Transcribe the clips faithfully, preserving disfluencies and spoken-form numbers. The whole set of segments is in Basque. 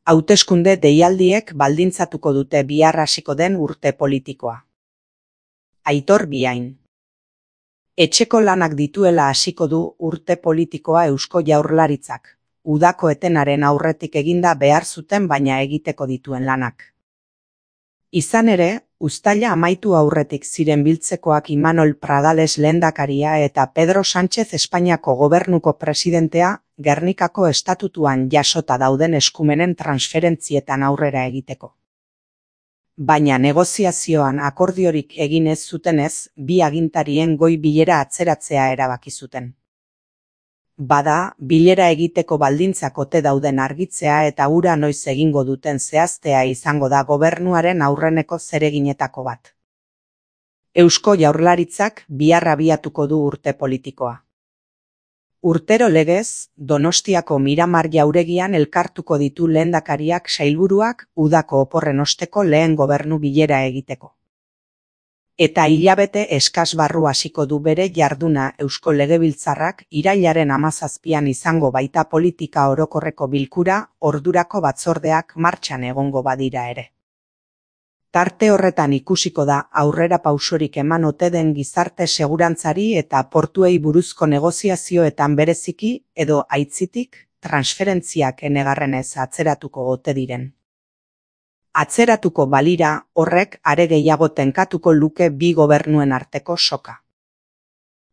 Hauteskunde deialdiek baldintzatuko dute bihar hasiko den urte politikoa. Aitor Biain. Etxeko lanak dituela hasiko du urte politikoa Eusko Jaurlaritzak, udako etenaren aurretik eginda behar zuten baina egiteko dituen lanak. Izan ere, uztaila amaitu aurretik ziren biltzekoak Imanol Pradales lehendakaria eta Pedro Sánchez Espainiako gobernuko presidentea Gernikako estatutuan jasota dauden eskumenen transferentzietan aurrera egiteko. Baina negoziazioan akordiorik egin ez zutenez, bi agintarien goi bilera atzeratzea erabaki zuten. Bada, bilera egiteko baldintzak ote dauden argitzea eta hura noiz egingo duten zehaztea izango da gobernuaren aurreneko zereginetako bat. Eusko Jaurlaritzak bihar abiatuko du urte politikoa. Urtero legez, Donostiako Miramar jauregian elkartuko ditu lehendakariak sailburuak udako oporren osteko lehen gobernu bilera egiteko. Eta hilabete eskas barru hasiko du bere jarduna Eusko Legebiltzarrak irailaren hamazazpian izango baita politika orokorreko bilkura, ordurako batzordeak martxan egongo badira ere. Tarte horretan ikusiko da aurrera pausorik eman ote den gizarte segurantzari eta portuei buruzko negoziazioetan bereziki edo aitzitik transferentziak enegarrenez atzeratuko ote diren. Atzeratuko balira horrek are gehiago tenkatuko luke bi gobernuen arteko soka.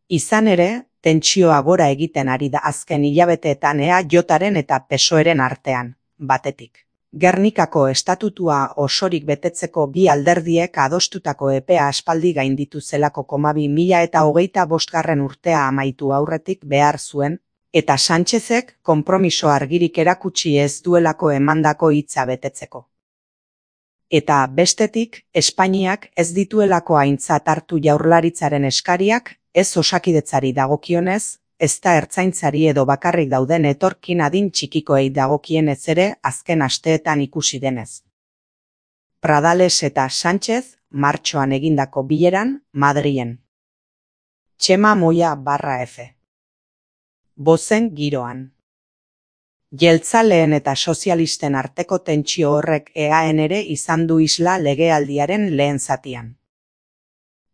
Izan ere, tentsioa gora egiten ari da azken hilabeteetan E A Jaren eta P S O Eren artean, batetik. Gernikako estatutua osorik betetzeko bi alderdiek adostutako epea aspaldi gainditu zelako koma bi mila eta hogeita bostgarren urtea amaitu aurretik behar zuen, eta Sánchezek konpromiso argirik erakutsi ez duelako emandako hitza betetzeko. Eta bestetik, Espainiak ez dituelako aintzat hartu Jaurlaritzaren eskariak, ez Osakidetzari dagokionez, ezta ertzaintzari edo bakarrik dauden etorkin adin txikikoei dagokienez ere azken asteetan ikusi denez. Pradales eta Sánchez martxoan egindako bileran Madrilen. Txema Moya barra F. Bozen giroan. Jeltzaleen eta sozialisten arteko tentsio horrek E A N ere izan du isla legealdiaren lehen zatian.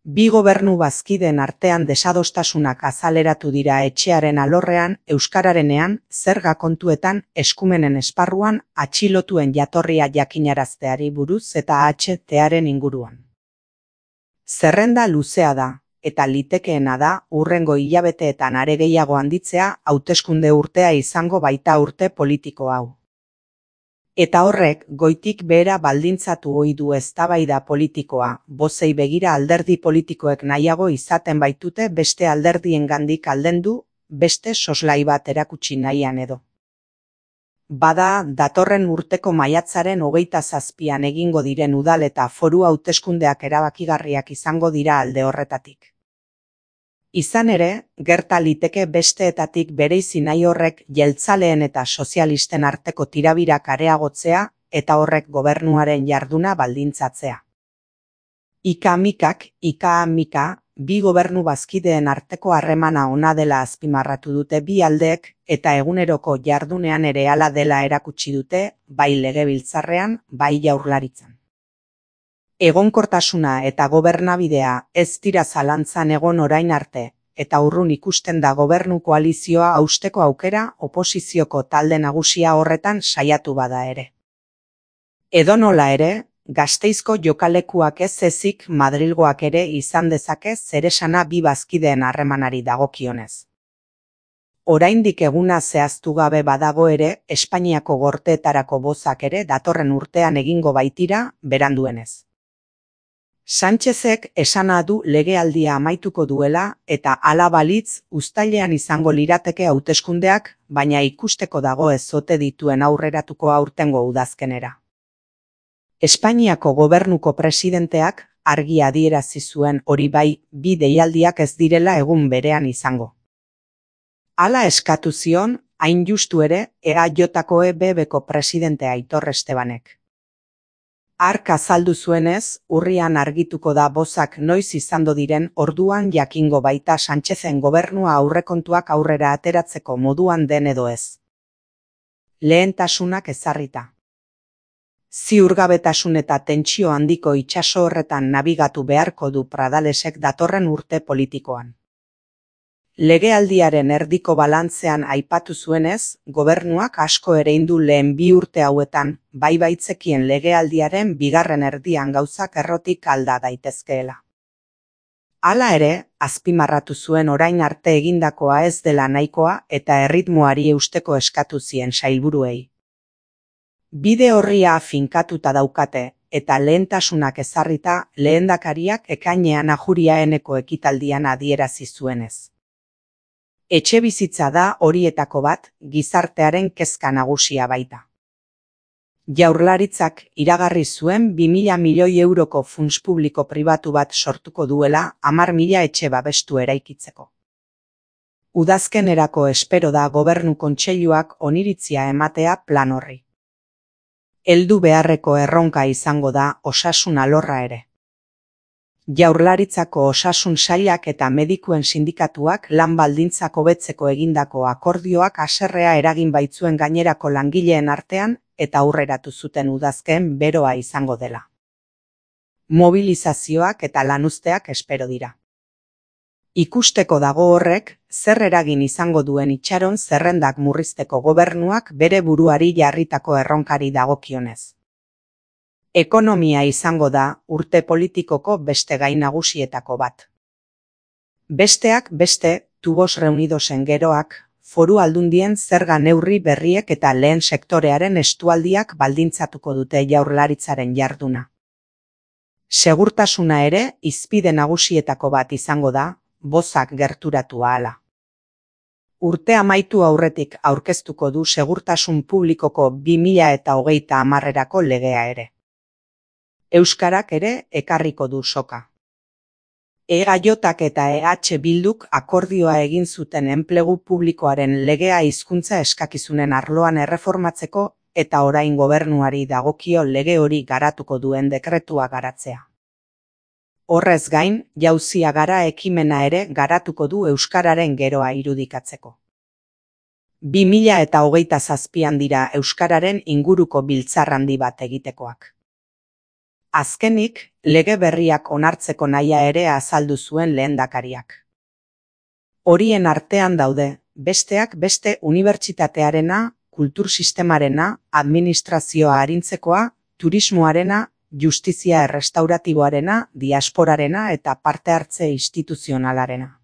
Bi gobernu bazkideen artean desadostasunak azaleratu dira etxearen alorrean, euskararenean, zerga kontuetan, eskumenen esparruan, atxilotuen jatorria jakinarazteari buruz eta H T-aren inguruan. Zerrenda luzea da, eta litekeena da hurrengo hilabeteetan are gehiago handitzea hauteskunde urtea izango baita urte politiko hau. Eta horrek goitik behera baldintzatu ohi du eztabaida politikoa, bozei begira alderdi politikoek nahiago izaten baitute beste alderdiengandik aldendu, beste soslai bat erakutsi nahian edo. Bada, datorren urteko maiatzaren hogeita zazpian egingo diren udal eta foru hauteskundeak erabakigarriak izango dira alde horretatik. Izan ere, gerta liteke besteetatik bereizi nahi horrek jeltzaleen eta sozialisten arteko tirabirak areagotzea eta horrek gobernuaren jarduna baldintzatzea. Ika-mikak, ika-mika, bi gobernu bazkideen arteko harremana ona dela azpimarratu dute bi aldeek eta eguneroko jardunean ere hala dela erakutsi dute, bai Legebiltzarrean, bai Jaurlaritzan. Egonkortasuna eta gobernabidea ez dira zalantzan egon orain arte, eta urrun ikusten da gobernu koalizioa hausteko aukera oposizioko talde nagusia horretan saiatu bada ere. Edonola ere, Gasteizko jokalekuak ez ezik Madrilgoak ere izan dezake zeresana bi bazkideen harremanari dagokionez. Oraindik eguna zehaztu gabe badago ere, Espainiako gorteetarako bozak ere datorren urtean egingo baitira, beranduenez. Sánchezek esana du legealdia amaituko duela eta hala balitz uztailean izango lirateke hauteskundeak, baina ikusteko dago ez ote dituen aurreratuko aurtengo udazkenera. Espainiako gobernuko presidenteak argi adierazi zuen hori bai, bi deialdiak ez direla egun berean izango. Hala eskatu zion, hain justu ere, E A Jko E B Bko presidente Aitor Estebanek. Hark azaldu zuenez, urrian argituko da bozak noiz izando diren orduan jakingo baita Sánchezen gobernua aurrekontuak aurrera ateratzeko moduan den edo ez. Lehentasunak ezarrita. Ziurgabetasun eta tentsio handiko itsaso horretan nabigatu beharko du Pradalesek datorren urte politikoan. Legealdiaren erdiko balantzean aipatu zuenez, gobernuak asko ereindu lehen bi urte hauetan, bai baitzekien legealdiaren bigarren erdian gauzak errotik alda daitezkeela. Hala ere, azpimarratu zuen orain arte egindakoa ez dela nahikoa eta erritmoari eusteko eskatu zien sailburuei. Bide horria finkatuta daukate eta lehentasunak ezarrita lehendakariak ekainean Ajuriaeneko ekitaldian adierazi zuenez. Etxebizitza da horietako bat, gizartearen kezka nagusia baita. Jaurlaritzak iragarri zuen bi mila milioi euroko funts publiko pribatu bat sortuko duela hamar mila etxe babestu eraikitzeko. Udazkenerako espero da Gobernu Kontseiluak oniritzia ematea plan horri. Heldu beharreko erronka izango da osasun alorra ere. Jaurlaritzako osasun sailak eta medikuen sindikatuak lan baldintzak hobetzeko egindako akordioak haserrea eragin baitzuen gainerako langileen artean eta aurreratu zuten udazkeen beroa izango dela. Mobilizazioak eta lanuzteak espero dira. Ikusteko dago horrek, zer eragin izango duen itxaron zerrendak murrizteko gobernuak bere buruari jarritako erronkari dagokionez. Ekonomia izango da urte politikoko beste gai nagusietako bat. Besteak beste, Tubos Reunidosen geroak, foru aldundien zerga neurri berriek eta lehen sektorearen estualdiak baldintzatuko dute jaurlaritzaren jarduna. Segurtasuna ere hizpide nagusietako bat izango da, bozak gerturatu ahala. Urte amaitu aurretik aurkeztuko du segurtasun publikoko bi mila eta hogeita hamarrerako legea ere. Euskarak ere ekarriko du soka. E G J eta E H Bilduk akordioa egin zuten enplegu publikoaren legea hizkuntza eskakizunen arloan erreformatzeko eta orain gobernuari dagokio lege hori garatuko duen dekretua garatzea. Horrez gain, jauzia gara ekimena ere garatuko du euskararen geroa irudikatzeko. bi mila eta hogeita zazpian dira euskararen inguruko biltzar handi bat egitekoak. Azkenik, lege berriak onartzeko nahia ere azaldu zuen lehendakariak. Horien artean daude, besteak beste unibertsitatearena, kultur sistemarena, administrazioa arintzekoa, turismoarena, justizia errestauratiboarena, diasporarena eta parte hartze instituzionalarena.